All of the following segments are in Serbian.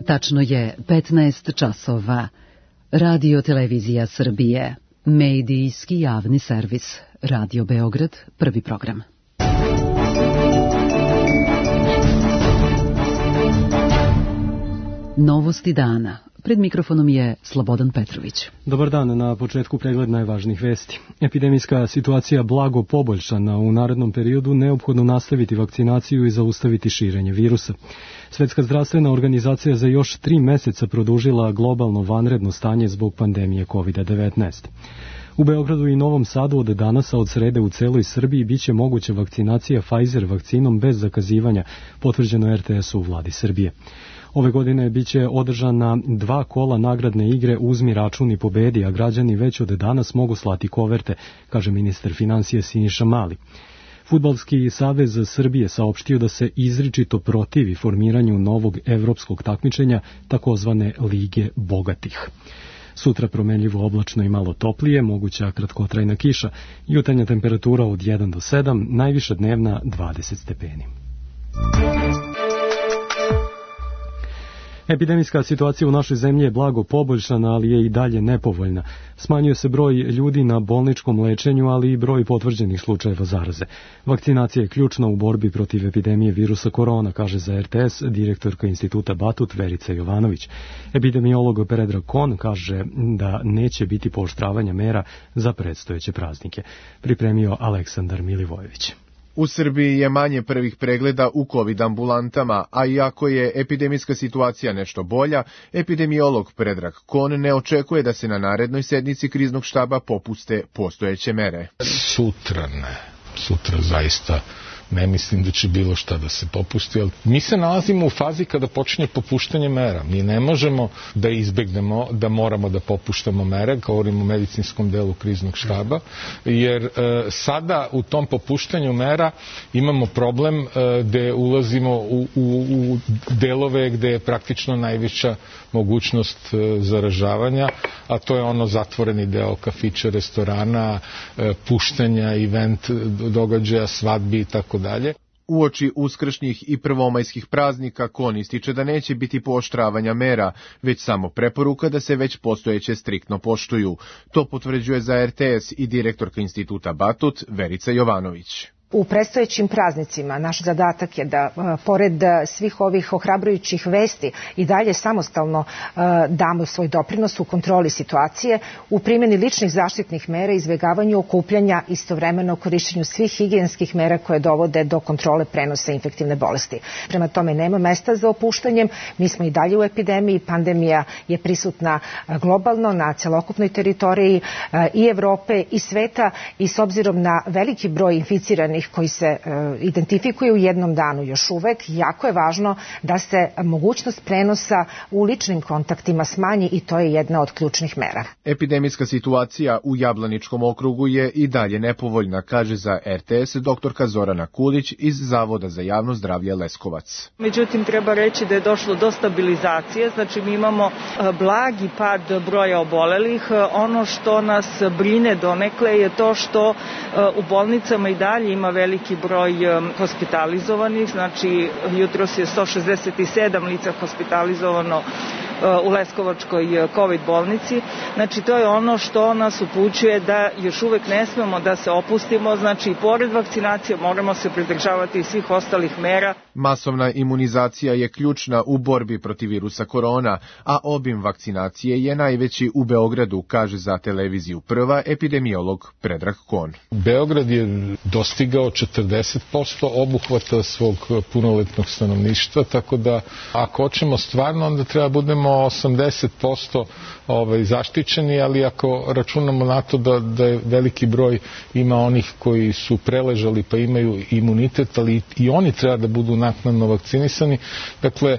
Tačno je 15 časova. Radio Televizija Srbije. Medijski javni servis. Radio Beograd, prvi program. Novosti dana. Pred mikrofonom je Slobodan Petrović. Dobar dan, na početku pregled najvažnijih vesti. Epidemijska situacija blago poboljšana, u narednom periodu neophodno nastaviti vakcinaciju i zaustaviti širenje virusa. Svetska zdravstvena organizacija za još 3 meseca produžila globalno vanredno stanje zbog pandemije COVID-19. U Beogradu i Novom Sadu od danas, a od srede u celoj Srbiji, biće moguća vakcinacija Pfizer vakcinom bez zakazivanja, potvrđeno RTS-u u vladi Srbije. Ove godine biće održana 2 kola nagradne igre Uzmi račun i pobedi, a građani već od danas mogu slati koverte, kaže ministar finansija Siniša Mali. Fudbalski savez Srbije saopštio da se izričito protivi formiranju novog evropskog takmičenja, takozvane Lige bogatih. Sutra promenljivo oblačno i malo toplije, moguća kratkotrajna kiša, jutarnja temperatura od 1 do 7, najviša dnevna 20 stepeni. Epidemijska situacija u našoj zemlji je blago poboljšana, ali je i dalje nepovoljna. Smanjuje se broj ljudi na bolničkom lečenju, ali i broj potvrđenih slučajeva zaraze. Vakcinacija je ključna u borbi protiv epidemije virusa korona, kaže za RTS direktorka Instituta Batut Verica Jovanović. Epidemiolog Predrag Kon kaže da neće biti pooštravanja mera za predstojeće praznike. Pripremio Aleksandar Milivojević. U Srbiji je manje prvih pregleda u COVID ambulantama, a iako je epidemijska situacija nešto bolja, epidemiolog Predrag Kon ne očekuje da se na narednoj sednici kriznog štaba popuste postojeće mere. Sutra zaista ne mislim da će bilo šta da se popusti, ali mi se nalazimo u fazi kada počinje popuštanje mera. Mi ne možemo da izbegnemo da moramo da popuštamo mere, govorimo o medicinskom delu kriznog štaba, jer sada u tom popuštanju mera imamo problem gde ulazimo u delove gde je praktično najveća mogućnost zaražavanja, a to je ono zatvoreni deo kafića, restorana, puštanja, event događaja, svadbi i tako dalje. Uoči uskršnjih i prvomajskih praznika Kon ističe da neće biti pooštravanja mera, već samo preporuka da se već postojeće striktno poštuju. To potvrđuje za RTS i direktorka Instituta Batut Verica Jovanović. U predstojećim praznicima naš zadatak je da, pored svih ovih ohrabrujućih vesti, i dalje samostalno damo svoj doprinos u kontroli situacije, u primjeni ličnih zaštitnih mera, izbjegavanju okupljanja, istovremeno korišćenju svih higijenskih mera koje dovode do kontrole prenosa infektivne bolesti. Prema tome nema mesta za opuštanjem, mi smo i dalje u epidemiji, pandemija je prisutna globalno na celokupnoj teritoriji i Evrope i sveta, i s obzirom na veliki broj inficiranih koji se identifikuju u jednom danu još uvek, jako je važno da se mogućnost prenosa u ličnim kontaktima smanji, i to je jedna od ključnih mera. Epidemijska situacija u Jablaničkom okrugu je i dalje nepovoljna, kaže za RTS doktorka Zorana Kulić iz Zavoda za javno zdravlje Leskovac. Međutim, treba reći da je došlo do stabilizacije, znači mi imamo blagi pad broja obolelih. Ono što nas brine donekle je to što u bolnicama i dalje ima veliki broj hospitalizovanih, znači jutros je 167 lica hospitalizovano u Leskovačkoj COVID bolnici. Znači to je ono što nas upućuje da još uvek ne smemo da se opustimo, znači i pored vakcinacije moramo se pridržavati svih ostalih mera. Masovna imunizacija je ključna u borbi protiv virusa korona, a obim vakcinacije je najveći u Beogradu, kaže za televiziju Prva epidemiolog Predrag Kon. Beograd je dostigao 40% obuhvata svog punoletnog stanovništva, tako da ako hoćemo stvarno, onda treba budemo 80% zaštićeni, ali ako računamo na to da je veliki broj ima onih koji su preležali pa imaju imunitet, ali i oni treba da budu naknadno vakcinisani. Dakle,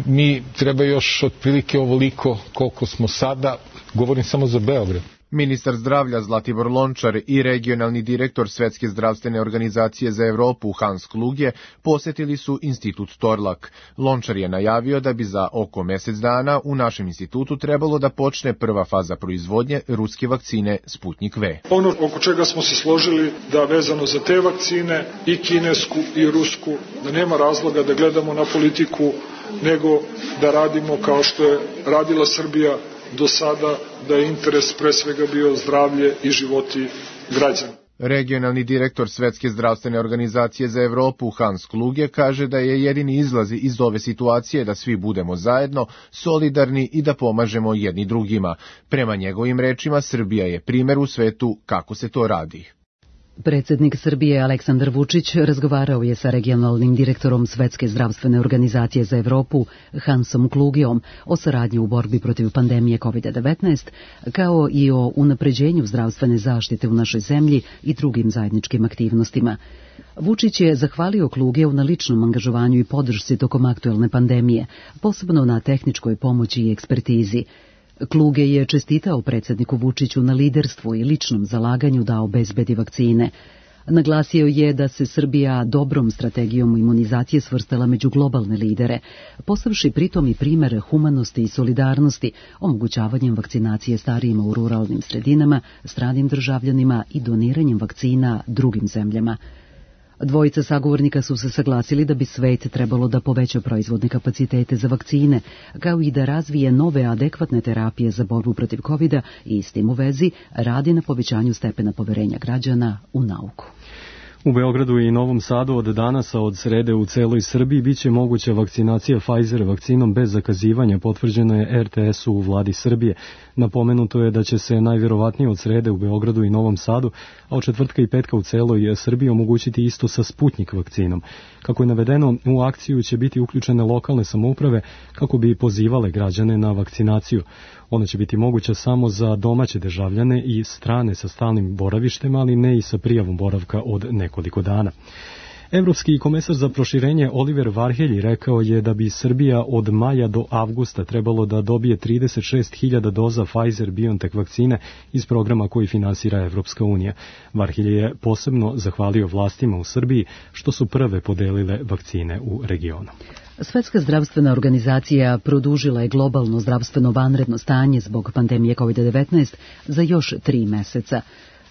mi treba još otprilike ovoliko koliko smo sada, govorim samo za Beograd. Ministar zdravlja Zlatibor Lončar i regionalni direktor Svetske zdravstvene organizacije za Evropu Hans Kluge posjetili su institut Torlak. Lončar je najavio da bi za oko mesec dana u našem institutu trebalo da počne prva faza proizvodnje ruske vakcine Sputnik V. Ono oko čega smo se složili da vezano za te vakcine, i kinesku i rusku, da nema razloga da gledamo na politiku nego da radimo kao što je radila Srbija do sada, da je interes pre svega bio zdravlje i životi građana. Regionalni direktor Svetske zdravstvene organizacije za Evropu Hans Kluge kaže da je jedini izlaz iz ove situacije da svi budemo zajedno, solidarni i da pomažemo jedni drugima. Prema njegovim rečima, Srbija je primer u svetu kako se to radi. Predsjednik Srbije Aleksandar Vučić razgovarao je sa regionalnim direktorom Svetske zdravstvene organizacije za Evropu Hansom Klugijom o saradnji u borbi protiv pandemije COVID-19, kao i o unapređenju zdravstvene zaštite u našoj zemlji i drugim zajedničkim aktivnostima. Vučić je zahvalio Klugiju na ličnom angažovanju i podršci tokom aktuelne pandemije, posebno na tehničkoj pomoći i ekspertizi. Kluge je čestitao predsjedniku Vučiću na liderstvu i ličnom zalaganju da obezbedi vakcine. Naglasio je da se Srbija dobrom strategijom imunizacije svrstala među globalne lidere, postavši pritom i primere humanosti i solidarnosti, omogućavanjem vakcinacije starijima u ruralnim sredinama, stranim državljanima i doniranjem vakcina drugim zemljama. Dvojica sagovornika su se saglasili da bi svet trebalo da poveća proizvodne kapacitete za vakcine, kao i da razvije nove adekvatne terapije za borbu protiv COVID-a i s tim u vezi radi na povećanju stepena poverenja građana u nauku. U Beogradu i Novom Sadu od danas, a od srede u celoj Srbiji, biće moguća vakcinacija Pfizer vakcinom bez zakazivanja, potvrđeno je RTS-u u vladi Srbije. Napomenuto je da će se najvjerovatnije od srede u Beogradu i Novom Sadu, a od četvrtka i petka u celoj Srbiji omogućiti isto sa Sputnik vakcinom. Kako je navedeno, u akciju će biti uključene lokalne samouprave kako bi pozivale građane na vakcinaciju. Ona će biti moguća samo za domaće državljane i strane sa stalnim boravištem, ali ne i sa prijavom boravka od nekoliko dana. Evropski komesar za proširenje Oliver Varhelji rekao je da bi Srbija od maja do avgusta trebalo da dobije 36.000 doza Pfizer-BioNTech vakcine iz programa koji finansira Evropska unija. Varhelji je posebno zahvalio vlastima u Srbiji što su prve podelile vakcine u regionu. Svetska zdravstvena organizacija produžila je globalno zdravstveno vanredno stanje zbog pandemije COVID-19 za još 3 meseca.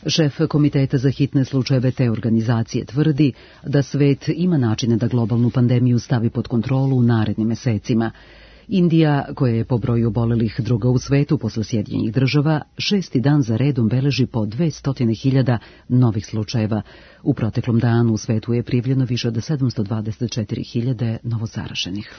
Šef Komiteta za hitne slučajeve te organizacije tvrdi da svet ima načine da globalnu pandemiju stavi pod kontrolu u narednim mesecima. Indija, koja je po broju obolelih druga u svetu posle Sjedinjenih država, 6. dan za redom beleži po 200.000 novih slučajeva. U proteklom danu u svetu je prijavljeno više od 724.000 novozaraženih.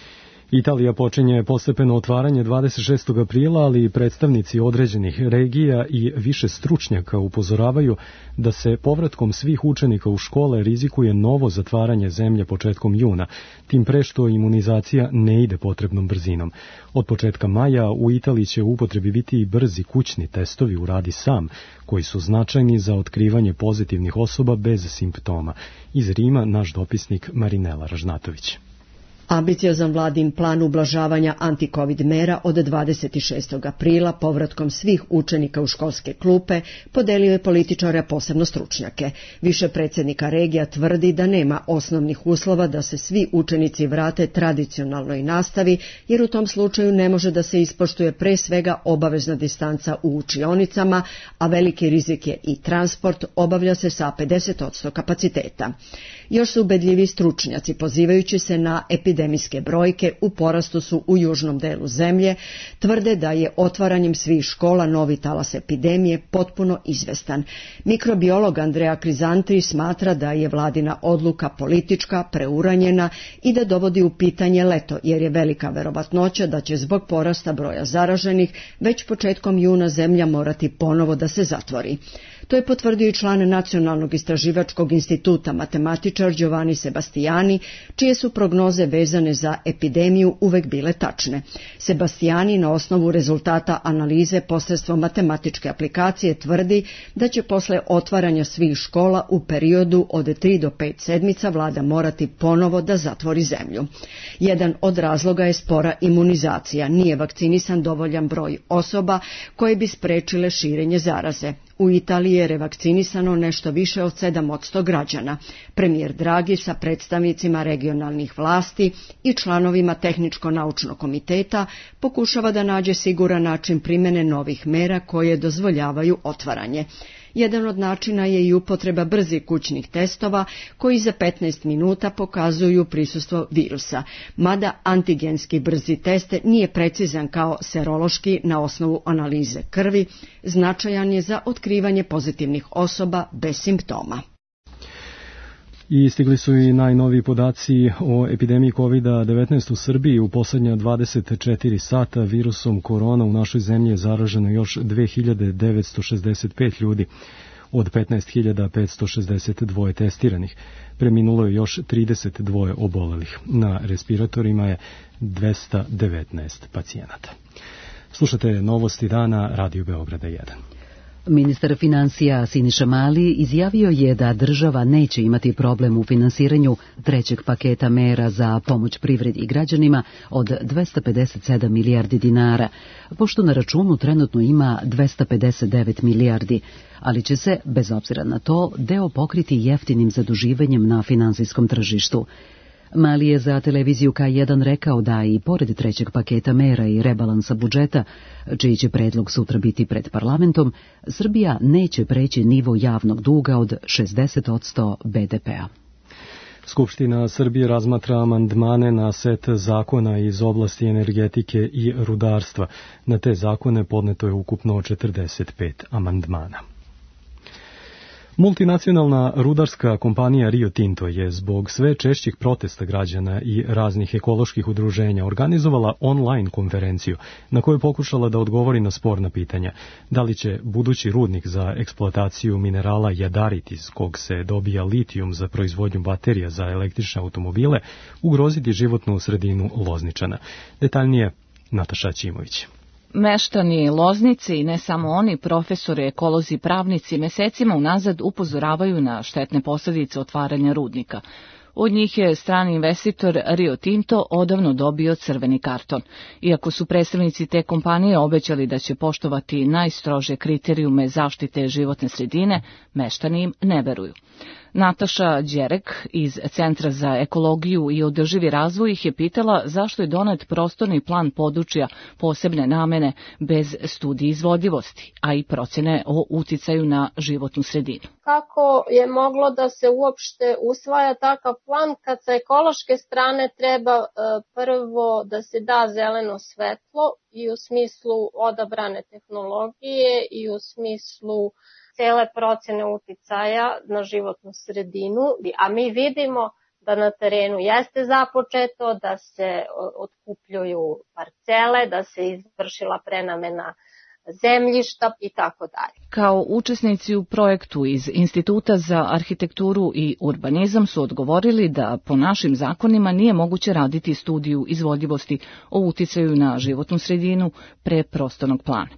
Italija počinje postepeno otvaranje 26. aprila, ali i predstavnici određenih regija i više stručnjaka upozoravaju da se povratkom svih učenika u škole rizikuje novo zatvaranje zemlje početkom juna, tim pre što imunizacija ne ide potrebnom brzinom. Od početka maja u Italiji će u upotrebi biti i brzi kućni testovi u radi sam, koji su značajni za otkrivanje pozitivnih osoba bez simptoma. Iz Rima naš dopisnik Marinela Ražnatović. Ambiciozan vladin plan ublažavanja anti-covid mera od 26. aprila povratkom svih učenika u školske klupe podelio je političare, posebno stručnjake. Više predsjednika regija tvrdi da nema osnovnih uslova da se svi učenici vrate tradicionalnoj nastavi, jer u tom slučaju ne može da se ispoštuje pre svega obavezna distanca u učionicama, a veliki rizik je i transport, obavlja se sa 50% kapaciteta. Još su ubedljivi stručnjaci, pozivajući se na epidemijske brojke u porastu su u južnom delu zemlje, tvrde da je otvaranjem svih škola novi talas epidemije potpuno izvestan. Mikrobiolog Andrea Krizantri smatra da je vladina odluka politička, preuranjena i da dovodi u pitanje leto, jer je velika verovatnoća da će zbog porasta broja zaraženih već početkom juna zemlja morati ponovo da se zatvori. To je potvrdio i član Nacionalnog istraživačkog instituta matematičar Giovanni Sebastiani, čije su prognoze vezane za epidemiju uvek bile tačne. Sebastiani na osnovu rezultata analize posredstvom matematičke aplikacije tvrdi da će posle otvaranja svih škola u periodu od 3 do 5 sedmica vlada morati ponovo da zatvori zemlju. Jedan od razloga je spora imunizacija. Nije vakcinisan dovoljan broj osoba koje bi sprečile širenje zaraze. U Italiji je revakcinisano nešto više od 7% građana. Premijer Draghi sa predstavnicima regionalnih vlasti i članovima tehničko-naučnog komiteta pokušava da nađe siguran način primjene novih mera koje dozvoljavaju otvaranje. Jedan od načina je i upotreba brzih kućnih testova koji za 15 minuta pokazuju prisustvo virusa, mada antigenski brzi test nije precizan kao serološki na osnovu analize krvi, značajan je za otkrivanje pozitivnih osoba bez simptoma. I stigli su i najnoviji podaci o epidemiji COVID-19 u Srbiji. U posljednja 24 sata virusom korona u našoj zemlji je zaraženo još 2965 ljudi od 15.562 testiranih. Preminulo je još 32 obolelih. Na respiratorima je 219 pacijenata. Slušate novosti dana Radio Beograda 1. Ministar financija Siniša Mali izjavio je da država neće imati problem u finansiranju trećeg paketa mera za pomoć privredi i građanima od 257 milijardi dinara, pošto na računu trenutno ima 259 milijardi, ali će se, bez obzira na to, deo pokriti jeftinim zaduživanjem na finansijskom tržištu. Mali je za televiziju K1 rekao da i pored trećeg paketa mera i rebalansa budžeta, čiji će predlog sutra biti pred parlamentom, Srbija neće preći nivo javnog duga od 60% BDP-a. Skupština Srbije razmatra amandmane na set zakona iz oblasti energetike i rudarstva. Na te zakone podneto je ukupno 45 amandmana. Multinacionalna rudarska kompanija Rio Tinto je zbog sve češćih protesta građana i raznih ekoloških udruženja organizovala online konferenciju na kojoj pokušala da odgovori na sporna pitanja. Da li će budući rudnik za eksploataciju minerala jadarit iz kog se dobija litijum za proizvodnju baterija za električne automobile ugroziti životnu sredinu Lozničana? Detaljnije Nataša Ćimović. Meštani Loznice i ne samo oni, profesori, ekolozi, pravnici mesecima unazad upozoravaju na štetne posljedice otvaranja rudnika. Od njih je strani investitor Rio Tinto odavno dobio crveni karton. Iako su predstavnici te kompanije obećali da će poštovati najstrože kriterijume zaštite životne sredine, meštani im ne veruju. Nataša Đerek iz Centra za ekologiju i održivi razvoj ih je pitala zašto je donet prostorni plan područja posebne namene bez studije izvodljivosti, a i procjene o uticaju na životnu sredinu. Kako je moglo da se uopšte usvaja takav plan kad sa ekološke strane treba prvo da se da zeleno svetlo i u smislu odabrane tehnologije i u smislu cele procene uticaja na životnu sredinu, a mi vidimo da na terenu jeste započeto, da se otkupljuju parcele, da se izvršila prenamena zemljišta i tako dalje. Kao učesnici u projektu iz Instituta za arhitekturu i urbanizam su odgovorili da po našim zakonima nije moguće raditi studiju izvodljivosti o uticaju na životnu sredinu pre prostornog plana.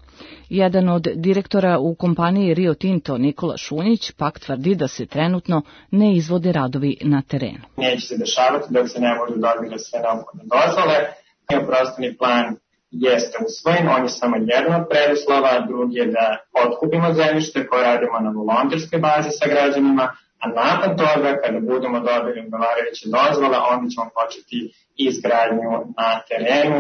Jedan od direktora u kompaniji Rio Tinto, Nikola Šunjić, pak tvrdi da se trenutno ne izvode radovi na terenu. Neće se dešavati dok se ne budu dobile sve neophodne dozvole. Prostorni plan jeste usvojen, on je samo jedan od preduslova, drugi je da otkupimo zemljište koje radimo na volonterskoj bazi sa građanima, a nakon toga, kada budemo dobili odgovarajuće dozvole, onda ćemo početi izgradnju na terenu.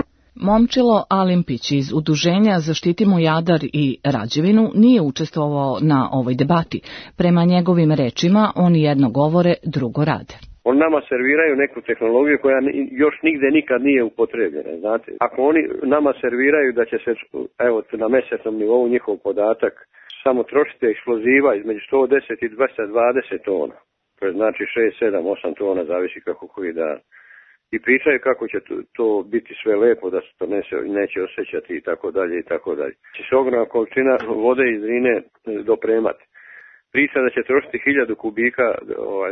Momčilo Alimpić iz Udruženja Zaštitimo Jadar i Rađevinu nije učestvovao na ovoj debati. Prema njegovim rečima, oni jedno govore, drugo rade. Oni nama serviraju neku tehnologiju koja još nigde nikad nije upotrebljena, znate. Ako oni nama serviraju da će se, evo, na mesečnom nivou njihov podatak, samo trošiti eksploziva između 110 i 220 tona, to je znači 6, 7, 8 tona, zavisi kako koji dan. I pričaju kako će to biti sve lepo, da se to neće osjećati i tako dalje i tako dalje. Će se ogromna količina vode iz Drine dopremati. Priča da će trošiti 1000 kubika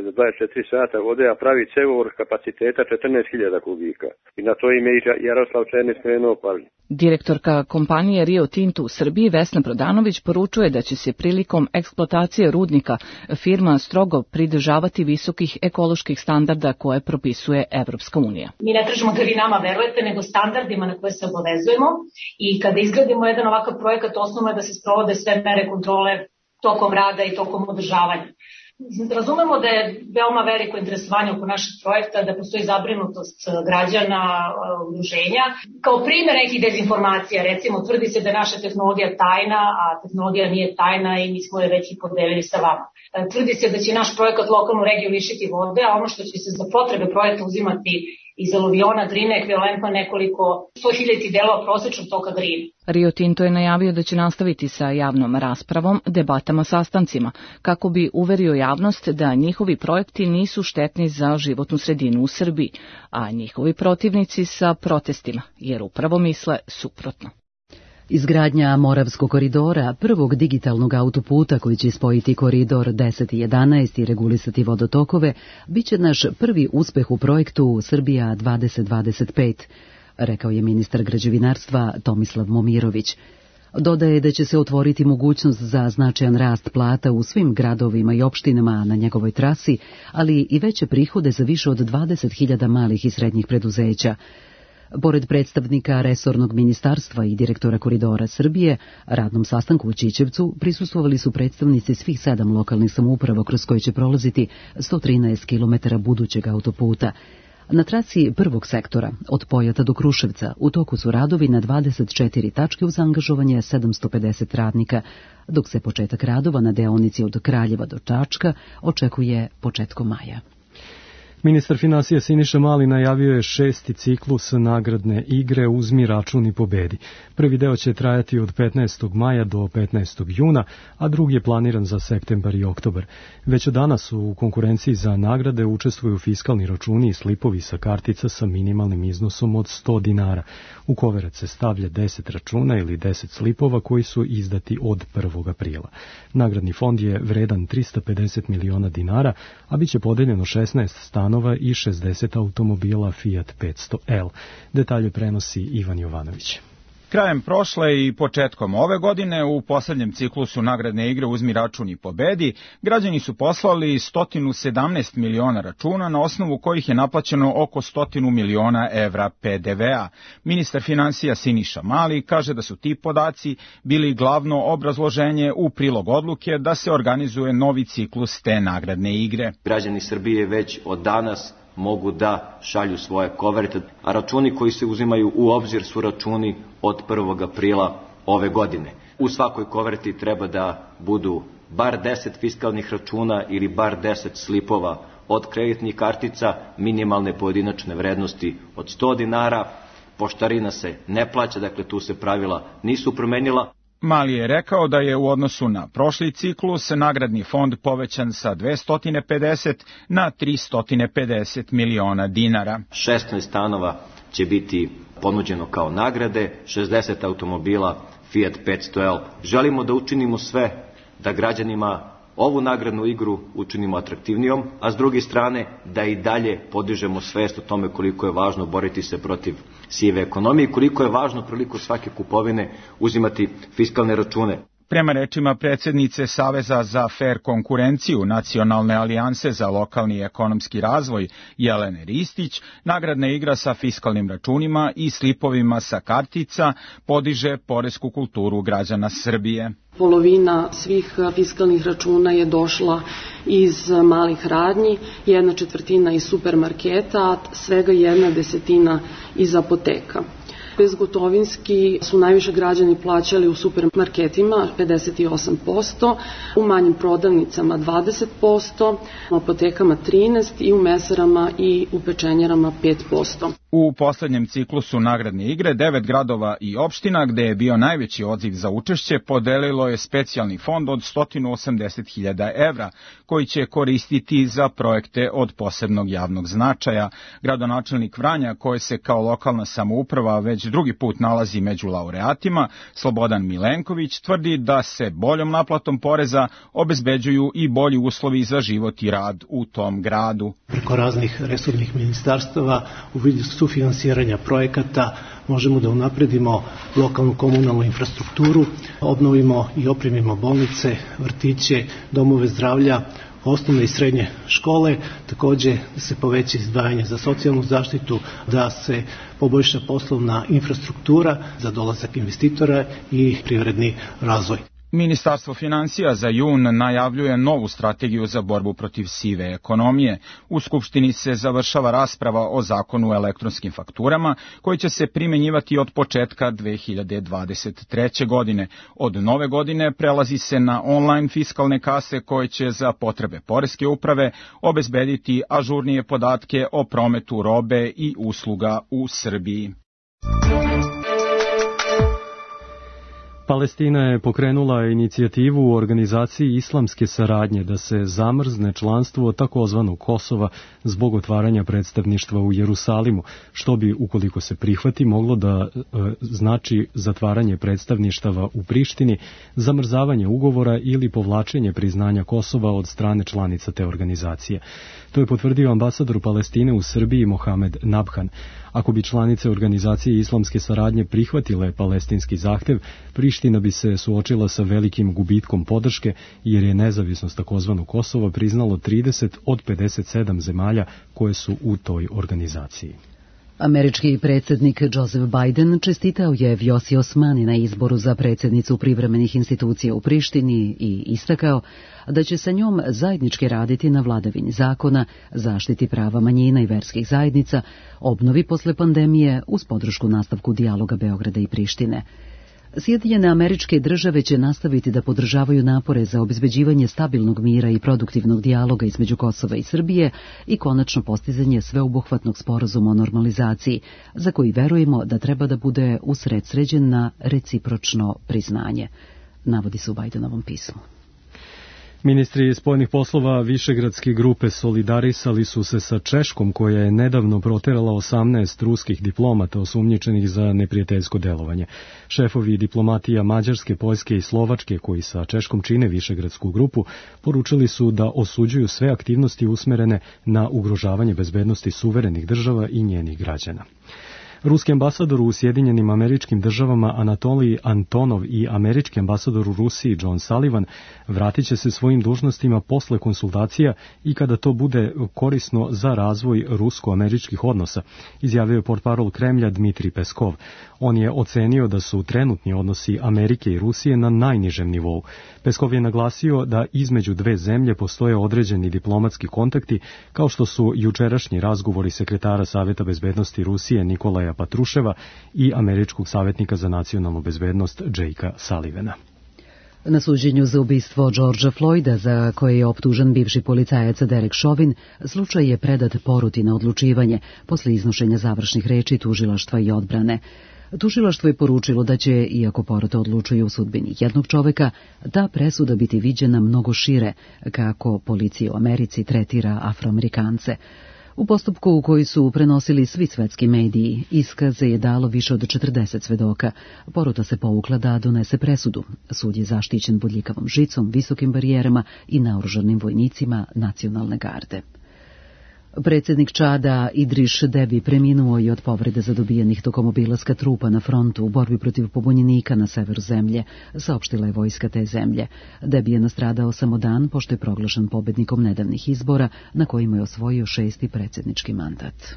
za 24 sata vode, a pravi cevovod kapaciteta 14.000 kubika. I na to im je Jaroslav Černi skrenuo pažnju. Direktorka kompanije Rio Tinto u Srbiji Vesna Prodanović poručuje da će se prilikom eksploatacije rudnika firma strogo pridržavati visokih ekoloških standarda koje propisuje Evropska unija. Mi ne tražimo da vi nama verujete, nego standardima na koje se obavezujemo i kada izgradimo jedan ovakav projekat, osnovno je da se sprovode sve mere kontrole tokom rada i tokom održavanja. Razumemo da je veoma veliko interesovanje oko našeg projekta, da postoji zabrinutost građana, udruženja. Kao primjer nekih dezinformacija, recimo, tvrdi se da je naša tehnologija tajna, a tehnologija nije tajna i mi smo je već i podelili sa vama. Tvrdi se da će naš projekat lokalnu regiju lišiti vode, a ono što će se za potrebe projekta uzimati iz aluviona Drine ekvivalentno nekoliko 100.000 delova prosečnog toka Drine. Rio Tinto je najavio da će nastaviti sa javnom raspravom, debatama, sastancima, kako bi uverio javnost da njihovi projekti nisu štetni za životnu sredinu u Srbiji, a njihovi protivnici sa protestima, jer upravo misle suprotno. Izgradnja Moravskog koridora, prvog digitalnog autoputa koji će spojiti koridor 10 i 11 i regulisati vodotokove, bit će naš prvi uspeh u projektu Srbija 2025, rekao je ministar građevinarstva Tomislav Momirović. Dodaje da će se otvoriti mogućnost za značajan rast plata u svim gradovima i opštinama na njegovoj trasi, ali i veće prihode za više od 20.000 malih i srednjih preduzeća. Pored predstavnika resornog ministarstva i direktora Koridora Srbije, radnom sastanku u Ćićevcu prisustvovali su predstavnici svih 7 lokalnih samouprava kroz koje će prolaziti 113 km budućeg autoputa. Na trasi prvog sektora, od Pojata do Kruševca, u toku su radovi na 24 tačke uz angažovanje 750 radnika, dok se početak radova na deonici od Kraljeva do Čačka očekuje početkom maja. Ministar finansija Siniša Mali najavio je 6. ciklus nagradne igre Uzmi račun i pobedi. Prvi deo će trajati od 15. maja do 15. juna, a drugi je planiran za septembar i oktobar. Već od danas u konkurenciji za nagrade učestvuju fiskalni računi i slipovi sa kartica sa minimalnim iznosom od 100 dinara. U koverac se stavlja 10 računa ili 10 slipova koji su izdati od 1. aprila. Nagradni fond je vredan 350 miliona dinara, a bit će podeljeno 16 stanova i 60 automobila Fiat 500L. Detalje prenosi Ivan Jovanović. Krajem prošle i početkom ove godine u poslednjem ciklusu nagradne igre Uzmi račun i pobedi građani su poslali 117 miliona računa na osnovu kojih je naplaćeno oko 100 miliona evra PDV-a. Ministar finansija Siniša Mali kaže da su ti podaci bili glavno obrazloženje u prilog odluke da se organizuje novi ciklus te nagradne igre. Građani Srbije već od danas mogu da šalju svoje koverte, a računi koji se uzimaju u obzir su računi od 1. aprila ove godine. U svakoj koverti treba da budu bar 10 fiskalnih računa ili bar 10 slipova od kreditnih kartica minimalne pojedinačne vrednosti od 100 dinara. Poštarina se ne plaća, dakle tu se pravila nisu promenila. Mali je rekao da je u odnosu na prošli ciklus nagradni fond povećan sa 250 na 350 miliona dinara. 16 stanova će biti ponuđeno kao nagrade, 60 automobila Fiat 500L. Želimo da učinimo sve da građanima ovu nagradnu igru učinimo atraktivnijom, a s druge strane da i dalje podižemo svest o tome koliko je važno boriti se protiv sive ekonomije i koliko je važno prilikom svake kupovine uzimati fiskalne račune. Prema rečima predsjednice Saveza za fer konkurenciju Nacionalne alijanse za lokalni i ekonomski razvoj Jelene Ristić, nagradna igra sa fiskalnim računima i slipovima sa kartica podiže poresku kulturu građana Srbije. Polovina svih fiskalnih računa je došla iz malih radnji, 1/4 iz supermarketa, a svega 1/10 iz apoteka. Bezgotovinski su najviše građani plaćali u supermarketima 58%, u manjim prodavnicama 20%, u apotekama 13% i u mesarama i u pečenjarama 5%. U poslednjem ciklusu nagradne igre 9 gradova i opština gde je bio najveći odziv za učešće podelilo je specijalni fond od 180.000 evra koji će koristiti za projekte od posebnog javnog značaja. Gradonačelnik Vranja, koji se kao lokalna samouprava već drugi put nalazi među laureatima, Slobodan Milenković, tvrdi da se boljom naplatom poreza obezbeđuju i bolji uslovi za život i rad u tom gradu. Preko raznih resornih ministarstava u vidu sufinansiranja projekata možemo da unapredimo lokalnu komunalnu infrastrukturu, obnovimo i opremimo bolnice, vrtiće, domove zdravlja, osnovne i srednje škole, takođe da se poveća izdvajanje za socijalnu zaštitu, da se poboljša poslovna infrastruktura za dolazak investitora i privredni razvoj. Ministarstvo financija za jun najavljuje novu strategiju za borbu protiv sive ekonomije. U Skupštini se završava rasprava o zakonu o elektronskim fakturama, koji će se primenjivati od početka 2023. godine. Od nove godine prelazi se na online fiskalne kase koje će za potrebe poreske uprave obezbediti ažurnije podatke o prometu robe i usluga u Srbiji. Palestina je pokrenula inicijativu u organizaciji islamske saradnje da se zamrzne članstvo takozvanog Kosova zbog otvaranja predstavništva u Jerusalimu, što bi, ukoliko se prihvati, moglo da znači zatvaranje predstavništava u Prištini, zamrzavanje ugovora ili povlačenje priznanja Kosova od strane članica te organizacije. To je potvrdio ambasador Palestine u Srbiji Mohamed Nabhan. Ako bi članice organizacije islamske saradnje prihvatile palestinski zahtev, Priština bi se suočila sa velikim gubitkom podrške, jer je nezavisnost takozvanog Kosova priznalo 30 od 57 zemalja koje su u toj organizaciji. Američki predsjednik Joseph Biden čestitao je Vjosi Osmani na izboru za predsjednicu privremenih institucija u Prištini i istakao da će sa njom zajednički raditi na vladavini zakona, zaštiti prava manjina i verskih zajednica, obnovi posle pandemije uz podršku nastavku dijaloga Beograda i Prištine. Sjedinjene Američke Države će nastaviti da podržavaju napore za obezbeđivanje stabilnog mira i produktivnog dijaloga između Kosova i Srbije i konačno postizanje sveobuhvatnog sporazuma o normalizaciji, za koji verujemo da treba da bude usredsređen na recipročno priznanje, navodi se u Bidenovom pismu. Ministri spoljnih poslova Višegradske grupe solidarisali su se sa Češkom, koja je nedavno proterala 18 ruskih diplomata osumnjičenih za neprijateljsko delovanje. Šefovi diplomatija Mađarske, Poljske i Slovačke, koji sa Češkom čine Višegradsku grupu, poručili su da osuđuju sve aktivnosti usmerene na ugrožavanje bezbednosti suverenih država i njenih građana. Ruski ambasador u Sjedinjenim Američkim Državama Anatolij Antonov i američki ambasador u Rusiji John Sullivan vratit će se svojim dužnostima posle konsultacija i kada to bude korisno za razvoj rusko-američkih odnosa, izjavio je portparol Kremlja Dmitrij Peskov. On je ocenio da su trenutni odnosi Amerike i Rusije na najnižem nivou. Peskov je naglasio da između dve zemlje postoje određeni diplomatski kontakti, kao što su jučerašnji razgovori sekretara Saveta bezbednosti Rusije Nikolaja Patruševa i američkog savjetnika za nacionalnu bezbednost Jakea Sullivana. Na suđenju za ubistvo Georgea Floyda, za koje je optužen bivši policajac Derek Chauvin, slučaj je predat poruti na odlučivanje posle iznošenja završnih reči tužilaštva i odbrane. Tužilaštvo je poručilo da će, iako porota odlučuje u sudbini jednog čoveka, ta presuda biti viđena mnogo šire, kako policija u Americi tretira Afroamerikance. U postupku u koji su prenosili svi svetski mediji, iskaze je dalo više od 40 svedoka. Porota se povukla da donese presudu. Sud je zaštićen bodljikavom žicom, visokim barijerama i naoružanim vojnicima nacionalne garde. Predsjednik Čada Idriš Debi preminuo je od povrede zadobijenih tokom obilaska trupa na frontu u borbi protiv pobunjenika na severu zemlje, saopštila je vojska te zemlje. Debi je nastradao samo dan pošto je proglašen pobednikom nedavnih izbora na kojima je osvojio 6. predsjednički mandat.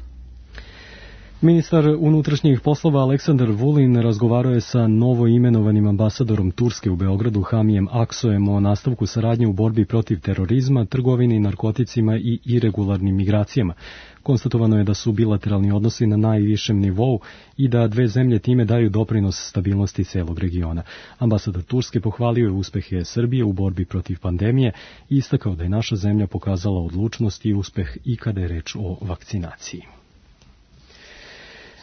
Ministar unutrašnjih poslova Aleksandar Vulin razgovarao je sa novo imenovanim ambasadorom Turske u Beogradu Hamijem Aksojem o nastavku saradnje u borbi protiv terorizma, trgovini narkoticima i iregularnim migracijama. Konstatovano je da su bilateralni odnosi na najvišem nivou i da dve zemlje time daju doprinos stabilnosti celog regiona. Ambasador Turske pohvalio je uspehe Srbije u borbi protiv pandemije i istakao da je naša zemlja pokazala odlučnost i uspeh i kada je reč o vakcinaciji.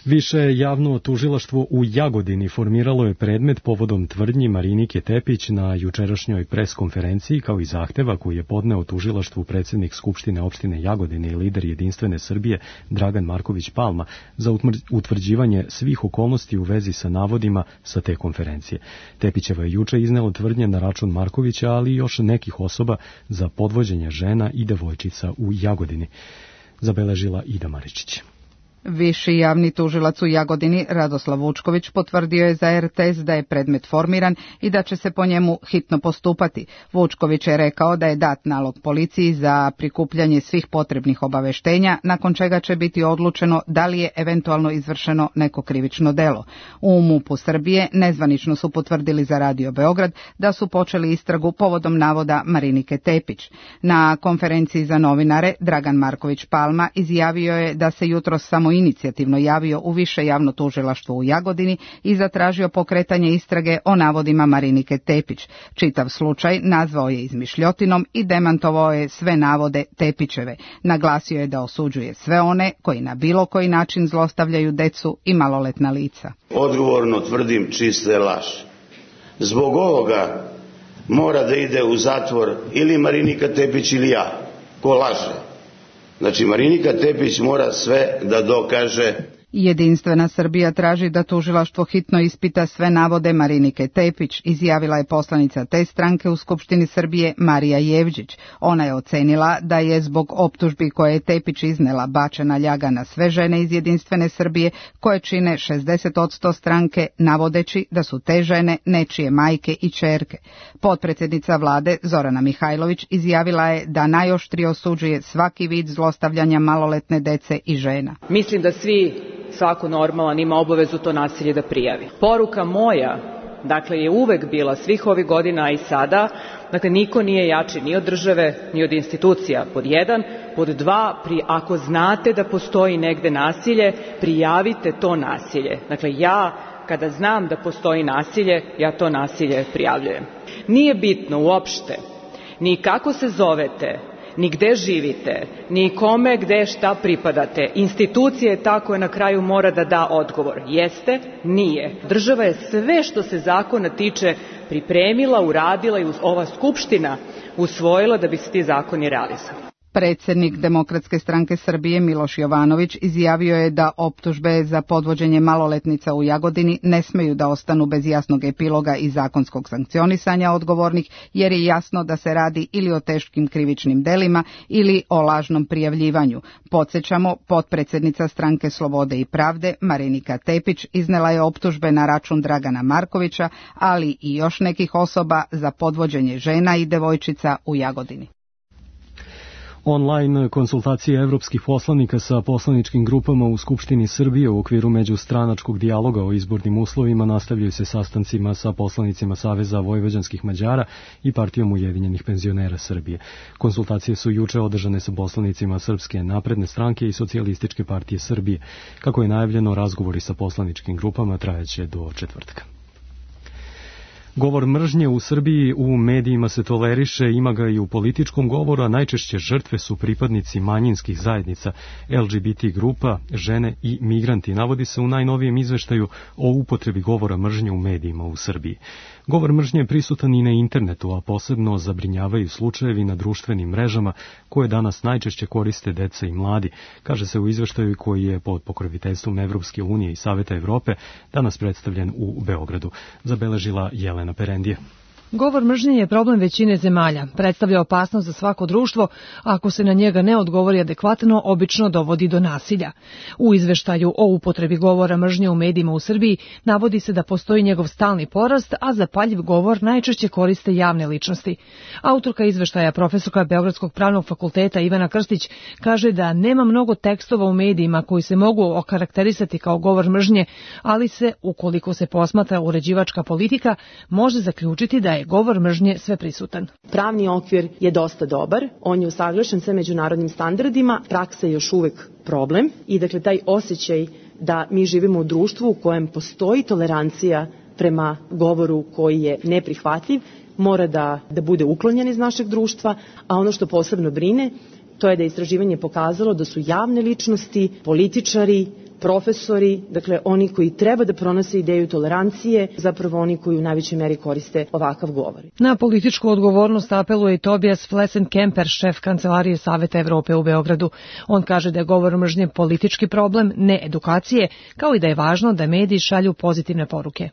Više javno tužilaštvo u Jagodini formiralo je predmet povodom tvrdnji Marinike Tepić na jučerašnjoj preskonferenciji, kao i zahteva koji je podneo tužilaštvu predsjednik Skupštine opštine Jagodine i lider Jedinstvene Srbije Dragan Marković Palma za utvrđivanje svih okolnosti u vezi sa navodima sa te konferencije. Tepićeva je juče iznela tvrdnje na račun Markovića, ali i još nekih osoba za podvođenje žena i devojčica u Jagodini, zabeležila Ida Maričić. Viši javni tužilac u Jagodini Radoslav Vučković potvrdio je za RTS da je predmet formiran i da će se po njemu hitno postupati. Vučković je rekao da je dat nalog policiji za prikupljanje svih potrebnih obaveštenja, nakon čega će biti odlučeno da li je eventualno izvršeno neko krivično delo. U MUP-u Srbije nezvanično su potvrdili za Radio Beograd da su počeli istragu povodom navoda Marinike Tepić. Na konferenciji za novinare Dragan Marković Palma izjavio je da se jutros samoinicijativno javio u Više javno tužilaštvo u Jagodini i zatražio pokretanje istrage o navodima Marinike Tepić. Čitav slučaj nazvao je izmišljotinom i demantovao je sve navode Tepićeve. Naglasio je da osuđuje sve one koji na bilo koji način zlostavljaju decu i maloletna lica. Odgovorno tvrdim čiste laž. Zbog ovoga mora da ide u zatvor ili Marinika Tepić ili ja, ko laže. Znači Marinika Tepić mora sve da dokaže. Jedinstvena Srbija traži da tužilaštvo hitno ispita sve navode Marinike Tepić, izjavila je poslanica te stranke u Skupštini Srbije Marija Jevđić. Ona je ocenila da je zbog optužbi koje je Tepić iznela bačena ljaga na sve žene iz Jedinstvene Srbije koje čine 60% stranke, navodeći da su te žene nečije majke i ćerke. Potpredsjednica vlade Zorana Mihajlović izjavila je da najoštrije osuđuje svaki vid zlostavljanja maloletne dece i žena. Mislim da svako normalan ima obavezu to nasilje da prijavi. Poruka moja, dakle, je uvek bila svih ovih godina i sada, dakle, niko nije jači ni od države, ni od institucija, pod 1, pod 2, ako znate da postoji negde nasilje, prijavite to nasilje. Dakle, ja, kada znam da postoji nasilje, ja to nasilje prijavljujem. Nije bitno uopšte ni kako se zovete, ni gde živite, ni kome, gde, šta pripadate. Institucija je ta koja na kraju mora da da odgovor. Jeste? Nije. Država je sve što se zakona tiče pripremila, uradila i ova Skupština usvojila da bi se ti zakoni realizovali. Predsjednik Demokratske stranke Srbije Miloš Jovanović izjavio je da optužbe za podvođenje maloletnica u Jagodini ne smeju da ostanu bez jasnog epiloga i zakonskog sankcionisanja odgovornih, jer je jasno da se radi ili o teškim krivičnim delima ili o lažnom prijavljivanju. Podsjećamo, potpredsjednica stranke Slobode i pravde Marinika Tepić iznela je optužbe na račun Dragana Markovića, ali i još nekih osoba za podvođenje žena i devojčica u Jagodini. Online konsultacije evropskih poslanika sa poslaničkim grupama u Skupštini Srbije u okviru međustranačkog dijaloga o izbornim uslovima nastavljaju se sastancima sa poslanicima Saveza vojvođanskih Mađara i Partijom ujedinjenih penzionera Srbije. Konsultacije su juče održane sa poslanicima Srpske napredne stranke i Socijalističke partije Srbije. Kako je najavljeno, razgovori sa poslaničkim grupama trajaće do četvrtka. Govor mržnje u Srbiji u medijima se toleriše, ima ga i u političkom govoru, a najčešće žrtve su pripadnici manjinskih zajednica, LGBT grupa, žene i migranti, navodi se u najnovijem izveštaju o upotrebi govora mržnje u medijima u Srbiji. Govor mržnje je prisutan i na internetu, a posebno zabrinjavaju slučajevi na društvenim mrežama koje danas najčešće koriste deca i mladi, kaže se u izveštaju koji je pod pokroviteljstvom Evropske unije i Saveta Evrope danas predstavljen u Beogradu, zabeležila Jelena Perendije. Govor mržnje je problem većine zemalja. Predstavlja opasnost za svako društvo, a ako se na njega ne odgovori adekvatno, obično dovodi do nasilja. U izveštaju o upotrebi govora mržnje u medijima u Srbiji navodi se da postoji njegov stalni porast, a zapaljiv govor najčešće koriste javne ličnosti. Autorka izveštaja, profesorka Beogradskog pravnog fakulteta Ivana Krstić, kaže da nema mnogo tekstova u medijima koji se mogu okarakterisati kao govor mržnje, ali se, ukoliko se posmatra uređivačka politika, može zaključiti da je govor mržnje sveprisutan. Pravni okvir je dosta dobar, on je usaglašen sa međunarodnim standardima, praksa je još uvek problem i dakle taj osjećaj da mi živimo u društvu u kojem postoji tolerancija prema govoru koji je neprihvatljiv, mora da bude uklonjen iz našeg društva, a ono što posebno brine, to je da je istraživanje pokazalo da su javne ličnosti, političari, profesori, dakle oni koji treba da pronose ideju tolerancije, zapravo oni koji u najvećoj meri koriste ovakav govor. Na političku odgovornost apeluje i Tobias Flesen-Kemper, šef Kancelarije Saveta Evrope u Beogradu. On kaže da je govor mržnje politički problem, ne edukacije, kao i da je važno da mediji šalju pozitivne poruke.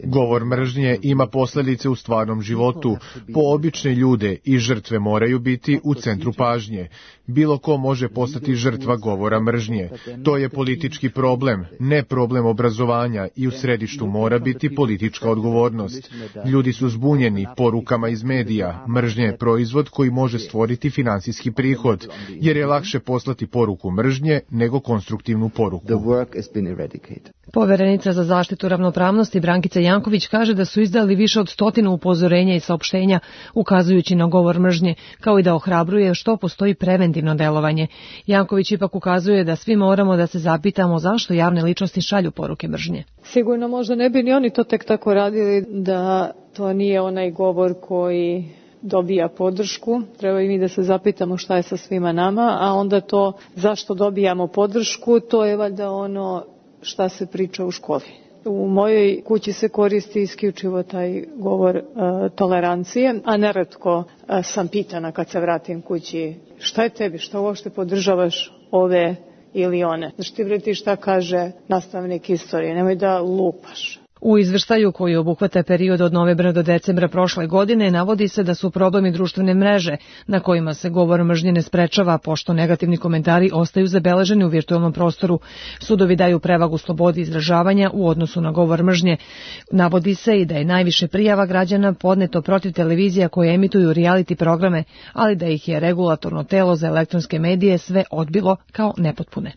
Govor mržnje ima posljedice u stvarnom životu. Po obične ljude i žrtve moraju biti u centru pažnje. Bilo ko može postati žrtva govora mržnje. To je politički problem, ne problem obrazovanja i u središtu mora biti politička odgovornost. Ljudi su zbunjeni porukama iz medija. Mržnja je proizvod koji može stvoriti finansijski prihod, jer je lakše poslati poruku mržnje nego konstruktivnu poruku. Poverenica za zaštitu ravnopravnosti Brankica Janković kaže da su izdali više od 100 upozorenja i saopštenja ukazujući na govor mržnje, kao i da ohrabruje što postoji preventivno delovanje. Janković ipak ukazuje da svi moramo da se zapitamo zašto javne ličnosti šalju poruke mržnje. Sigurno možda ne bi ni oni to tek tako radili da to nije onaj govor koji dobija podršku. Treba i mi da se zapitamo šta je sa svima nama, a onda to zašto dobijamo podršku, to je valjda ono šta se priča u školi. U mojoj kući se koristi isključivo taj govor tolerancije, a neretko sam pitana kad se vratim kući šta je tebi, šta uopšte podržavaš ove ili one. Znači ti vreti šta kaže nastavnik istorije, nemoj da lupaš. U izveštaju koji obuhvata period od novembra do decembra prošle godine navodi se da su problemi društvene mreže na kojima se govor mržnje ne sprečava pošto negativni komentari ostaju zabeleženi u virtualnom prostoru. Sudovi daju prevagu slobodi izražavanja u odnosu na govor mržnje. Navodi se i da je najviše prijava građana podneto protiv televizija koje emituju reality programe, ali da ih je regulatorno telo za elektronske medije sve odbilo kao nepotpune.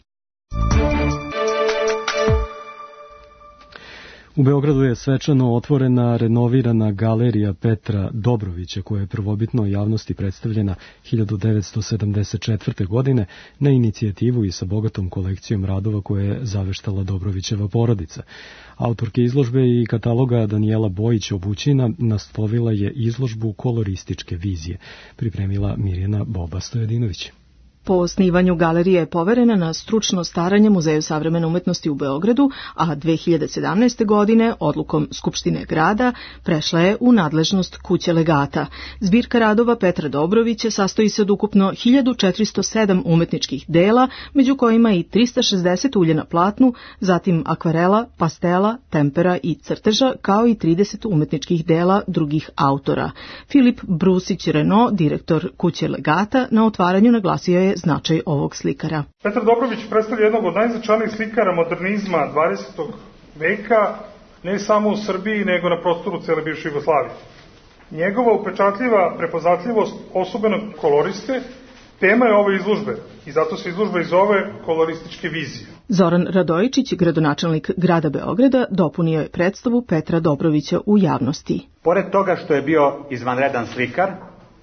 U Beogradu je svečano otvorena renovirana galerija Petra Dobrovića koja je prvobitno javnosti predstavljena 1974. godine na inicijativu i sa bogatom kolekcijom radova koje je zaveštala Dobrovićeva porodica. Autorke izložbe i kataloga Danijela Bojić-Obućina naslovila je izložbu kolorističke vizije, pripremila Mirjana Boba-Stojadinović. Po osnivanju galerija je poverena na stručno staranje Muzeju savremene umetnosti u Beogradu, a 2017. godine odlukom Skupštine grada prešla je u nadležnost kuće legata. Zbirka radova Petra Dobrovića sastoji se od ukupno 1407 umetničkih dela, među kojima i 360 ulje na platnu, zatim akvarela, pastela, tempera i crteža, kao i 30 umetničkih dela drugih autora. Filip Brusić-Reno, direktor kuće legata, na otvaranju naglasio je značaj ovog slikara. Petar Dobrović predstavlja jednog od najznačajnijih slikara modernizma 20. veka, ne samo u Srbiji, nego na prostoru cele bivše Jugoslavije. Njegova upečatljiva prepoznatljivost osobenog koloriste tema je ove izložbe i zato se izložba i zove kolorističke vizije. Zoran Radojičić, gradonačelnik grada Beograda, dopunio je predstavu Petra Dobrovića u javnosti. Pored toga što je bio izvanredan slikar,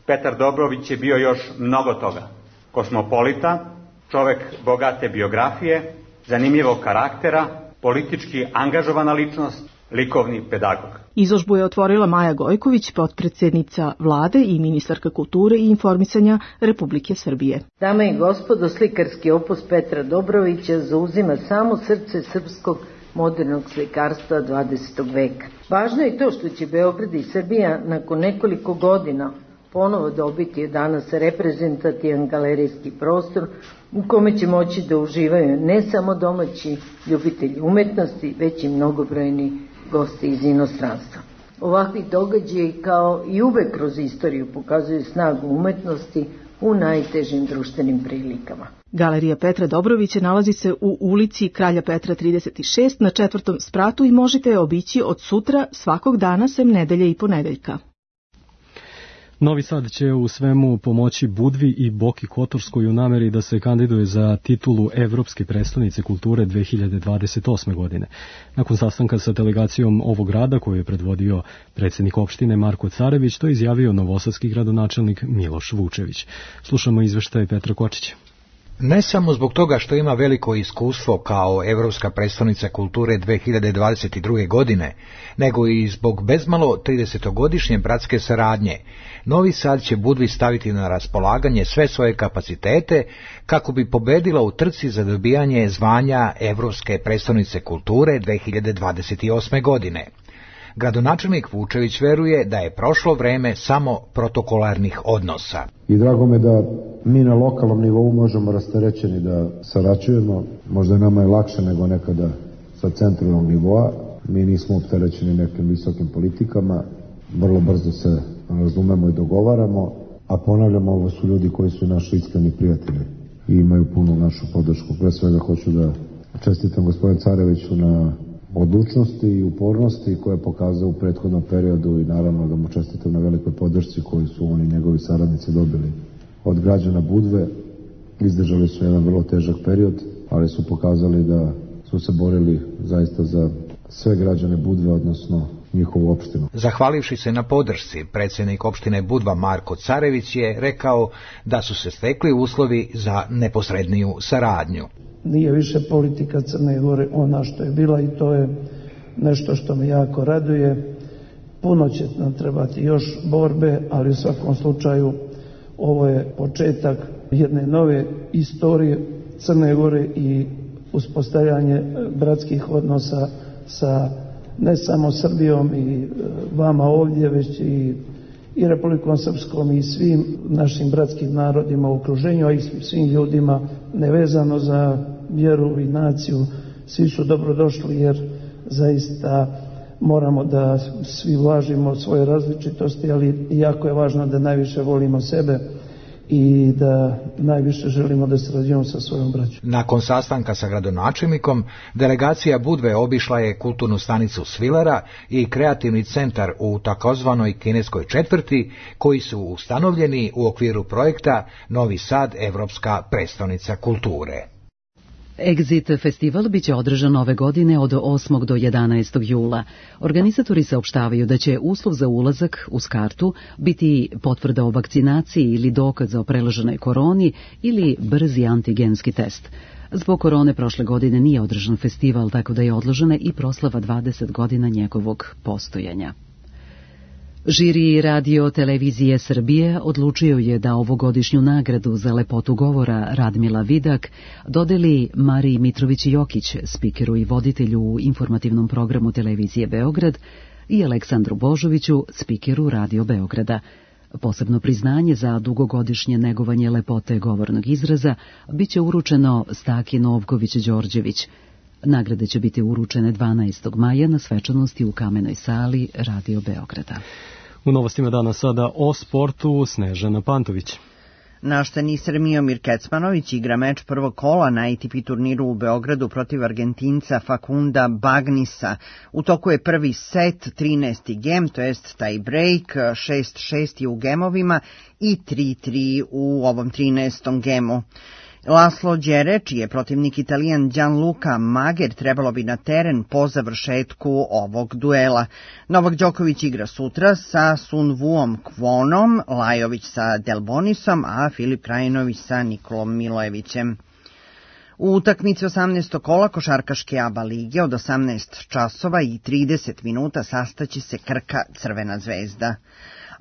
Petar Dobrović je bio još mnogo toga. Kosmopolita, čovek bogate biografije, zanimljivog karaktera, politički angažovana ličnost, likovni pedagog. Izložbu je otvorila Maja Gojković, potpredsednica vlade i ministarka kulture i informisanja Republike Srbije. Dame i gospodo, slikarski opus Petra Dobrovića zauzima samo srce srpskog modernog slikarstva 20. veka. Važno je to što će Beograd i Srbija nakon nekoliko godina ponovo dobiti danas reprezentativan galerijski prostor u kome će moći da uživaju ne samo domaći ljubitelji umetnosti, već i mnogobrojni gosti iz inostranstva. Ovakvi događaji kao i uvek kroz istoriju pokazuju snagu umetnosti u najtežim društvenim prilikama. Galerija Petra Dobrovića nalazi se u ulici Kralja Petra 36 na 4. spratu i možete je obići od sutra svakog dana sem nedelje i ponedeljka. Novi Sad će u svemu pomoći Budvi i Boki Kotorskoj u nameri da se kandiduje za titulu Evropske prestonice kulture 2028. godine. Nakon sastanka sa delegacijom ovog grada koju je predvodio predsjednik opštine Marko Carević, to je izjavio novosadski gradonačelnik Miloš Vučević. Slušamo izveštaj Petra Kočića. Ne samo zbog toga što ima veliko iskustvo kao Evropska predstavnica kulture 2022. godine, nego i zbog bezmalo 30-godišnje bratske saradnje. Novi Sad će Budvi staviti na raspolaganje sve svoje kapacitete kako bi pobedila u trci za dobijanje zvanja Evropske predstavnice kulture 2028. godine. Gradonačelnik Vučević veruje da je prošlo vreme samo protokolarnih odnosa. I drago me da mi na lokalnom nivou možemo rasterećeni da sarađujemo. Možda nama je lakše nego nekada sa centralnog nivoa. Mi nismo opterećeni nekim visokim politikama. Vrlo brzo se razumemo i dogovaramo. A ponavljamo, ovo su ljudi koji su naši iskreni prijatelji i imaju punu našu podršku. Pre svega hoću da čestitam gospodinu Careviću na odlučnosti i upornosti koje je pokazao u prethodnom periodu i naravno da mu čestitam na velikoj podršci koju su oni i njegovi saradnici dobili od građana Budve. Izdržali su jedan vrlo težak period, ali su pokazali da su se borili zaista za sve građane Budve, odnosno njihovu opštinu. Zahvalivši se na podršci, predsjednik opštine Budva Marko Carević je rekao da su se stekli uslovi za neposredniju saradnju. Nije više politika Crne Gore ona što je bila i to je nešto što me jako raduje. Puno će nam trebati još borbe, ali u svakom slučaju ovo je početak jedne nove istorije Crne Gore i uspostavljanje bratskih odnosa sa ne samo Srbijom i vama ovdje, već i Republikom Srpskom i svim našim bratskim narodima u okruženju, a i svim ljudima nevezano za vjeru i naciju. Svi su dobrodošli jer zaista moramo da svi važimo svoje različitosti, ali jako je važno da najviše volimo sebe i da najviše želimo da sarađujemo sa svojom braćom. Nakon sastanka sa gradonačelnikom, delegacija Budve obišla je kulturnu stanicu Svilera i kreativni centar u takozvanoj kineskoj četvrti, koji su ustanovljeni u okviru projekta Novi Sad, Evropska predstavnica kulture. Exit festival biće održan ove godine od 8. do 11. jula. Organizatori saopštavaju da će uslov za ulazak uz kartu biti potvrda o vakcinaciji ili dokaz o preleženoj koroni ili brzi antigenski test. Zbog korone prošle godine nije održan festival, tako da je odložena i proslava 20 godina njegovog postojanja. Žiri Radio Televizije Srbije odlučio je da ovogodišnju nagradu za lepotu govora Radmila Vidak dodeli Mariji Mitrović-Jokić, spikeru i voditelju u informativnom programu Televizije Beograd, i Aleksandru Božoviću, spikeru Radio Beograda. Posebno priznanje za dugogodišnje negovanje lepote govornog izraza biće uručeno Staki Novković-Đorđević. Nagrade će biti uručene 12. maja na svečanosti u Kamenoj sali Radio Beograda. U novostima dana sada o sportu Snežana Pantović. Naš teniser Miomir Kecmanović igra meč prvog kola na ATP turniru u Beogradu protiv Argentinca Facunda Bagnisa. U toku je prvi set, 13. gem, to jest taj break, 6-6 je u gemovima i 3-3 u ovom 13. gemu. Laslo Đere, čiji je protivnik Italijan Gianluca Mager, trebalo bi na teren po završetku ovog duela. Novak Đoković igra sutra sa Sun Vuom Kvonom, Lajović sa Delbonisom, a Filip Krajinović sa Nikolom Milojevićem. U utakmici 18. kola košarkaške ABA lige od 18 časova i 30 minuta sastaće se Krka Crvena zvezda.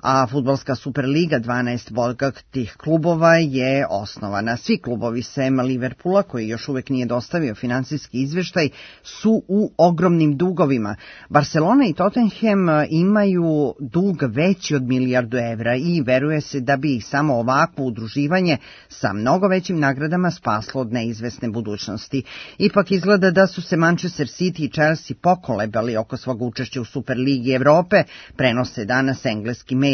A fudbalska Superliga 12 bogatih klubova je osnovana. Svi klubovi sem Liverpoola, koji još uvek nije dostavio finansijski izveštaj, su u ogromnim dugovima. Barcelona i Tottenham imaju dug veći od milijardu evra i veruje se da bi ih samo ovakvo udruživanje sa mnogo većim nagradama spaslo od neizvesne budućnosti. Ipak izgleda da su se Manchester City i Chelsea pokolebali oko svog učešća u Superligi Evrope, prenose danas engleski mediji.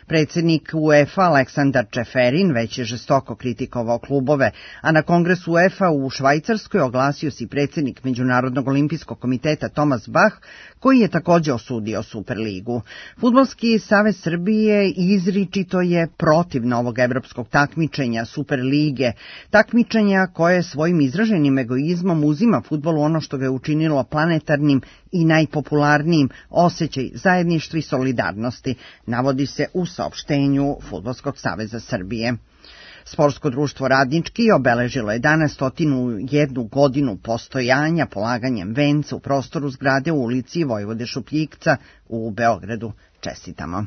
Predsjednik UEFA Aleksandar Čeferin već je žestoko kritikovao klubove, a na kongresu UEFA u Švajcarskoj oglasio se i predsjednik Međunarodnog olimpijskog komiteta Tomas Bach, koji je također osudio Superligu. Fudbalski savez Srbije izričito je protiv novog evropskog takmičenja Superlige, takmičenja koje svojim izraženim egoizmom uzima fudbalu ono što ga je učinilo planetarnim i najpopularnijim, osjećaj zajedništva i solidarnosti, navodi se u saopštenju Fudbalskog saveza Srbije. Sportsko društvo Radnički obeležilo je danas 101 godinu postojanja polaganjem venca u prostoru zgrade u ulici Vojvode Šupljikca u Beogradu. Čestitamo.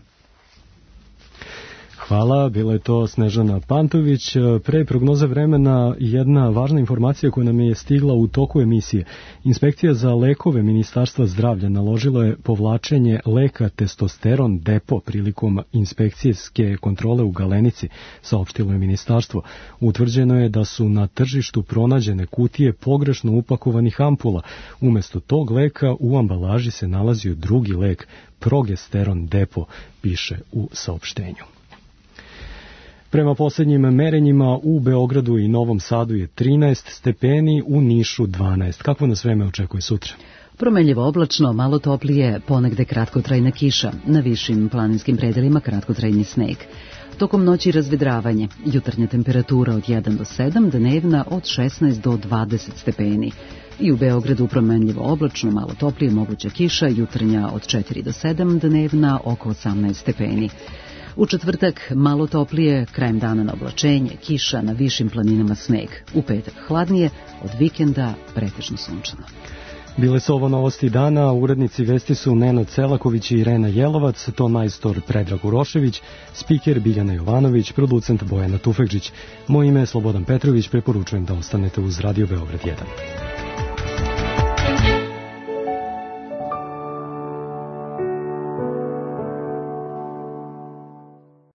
Hvala, bila je to Snežana Pantović. Pre prognoze vremena jedna važna informacija koja nam je stigla u toku emisije. Inspekcija za lekove Ministarstva zdravlja naložila je povlačenje leka testosteron depo prilikom inspekcijske kontrole u Galenici, saopštilo je ministarstvo. Utvrđeno je da su na tržištu pronađene kutije pogrešno upakovanih ampula. Umesto tog leka u ambalaži se nalazio drugi lek, progesteron depo, piše u saopštenju. Prema posljednjim merenjima u Beogradu i Novom Sadu je 13 stepeni, u Nišu 12. Kakvo nas vreme očekuje sutra? Promenljivo oblačno, malo toplije, ponegde kratkotrajna kiša, na višim planinskim predelima kratkotrajni sneg. Tokom noći razvedravanje, jutarnja temperatura od 1 do 7, dnevna od 16 do 20 stepeni. I u Beogradu promenljivo oblačno, malo toplije, moguća kiša, jutarnja od 4 do 7, dnevna oko 18 stepeni. U četvrtak malo toplije, krajem dana na oblačenje, kiša, na višim planinama sneg. U petak hladnije, od vikenda pretežno sunčano. Bile su ovo novosti dana, urednici vesti su Nenad Celaković i Irena Jelovac, ton majstor Predrag Urošević, spiker Biljana Jovanović, producent Bojana Tufekžić. Moje ime je Slobodan Petrović, preporučujem da ostanete uz Radio Beograd 1.